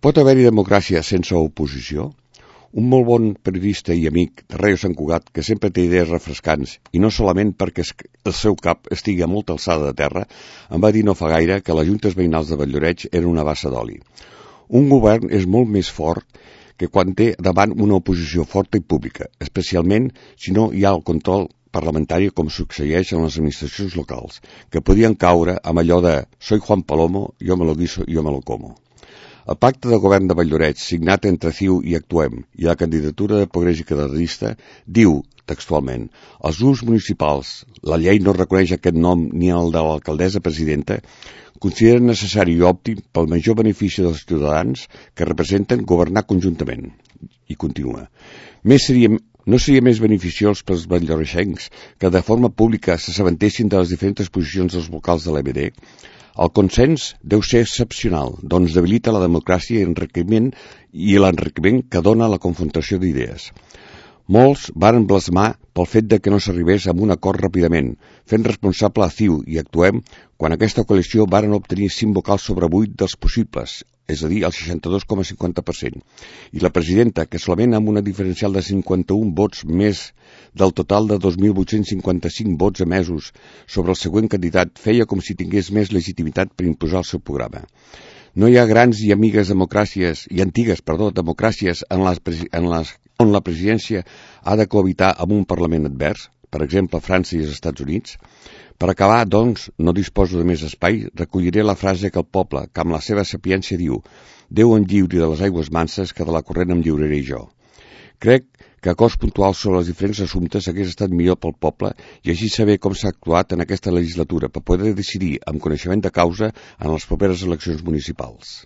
Pot haver-hi democràcia sense oposició? Un molt bon periodista i amic de Ràdio Sant Cugat, que sempre té idees refrescants, i no solament perquè el seu cap estigui a molta alçada de terra, em va dir no fa gaire que les juntes veïnals de Valldoreix eren una bassa d'oli. Un govern és molt més fort que quan té davant una oposició forta i pública, especialment si no hi ha el control parlamentari com succeeix en les administracions locals, que podien caure amb allò de «soy Juan Palomo, yo me lo guiso, yo me lo como». El pacte de govern de Valldoreix, signat entre CiU i Actuem i la candidatura de Progrés i Catalanista, diu, textualment, els grups municipals, la llei no reconeix aquest nom ni el de l'alcaldessa presidenta, consideren necessari i òptim pel major benefici dels ciutadans que representen governar conjuntament. I continua. No seria més beneficiós pels valldoreixencs que de forma pública s'assabentessin de les diferents posicions dels vocals de l'EBD? El consens deu ser excepcional, doncs debilita la democràcia i l'enriquiment que dona la confrontació d'idees. Molts varen blasmar pel fet de que no s'arribés a un acord ràpidament, fent responsable a CiU i Actuem quan aquesta coalició varen obtenir 5 vocals sobre 8 dels possibles, és a dir, el 62,50%, i la presidenta, que solament amb una diferencial de 51 vots més del total de 2.855 vots emesos sobre el següent candidat, feia com si tingués més legitimitat per imposar el seu programa. No hi ha grans i antigues democràcies on la presidència ha de cohabitar amb un Parlament advers, per exemple França i els Estats Units. Per acabar, doncs, no disposo de més espai, recolliré la frase que el poble, que amb la seva sapiència diu «Déu em lliuri de les aigües manses, que de la corrent em lliuraré jo». Crec que acords puntuals sobre els diferents assumptes hagués estat millor pel poble i així saber com s'ha actuat en aquesta legislatura per poder decidir amb coneixement de causa en les properes eleccions municipals.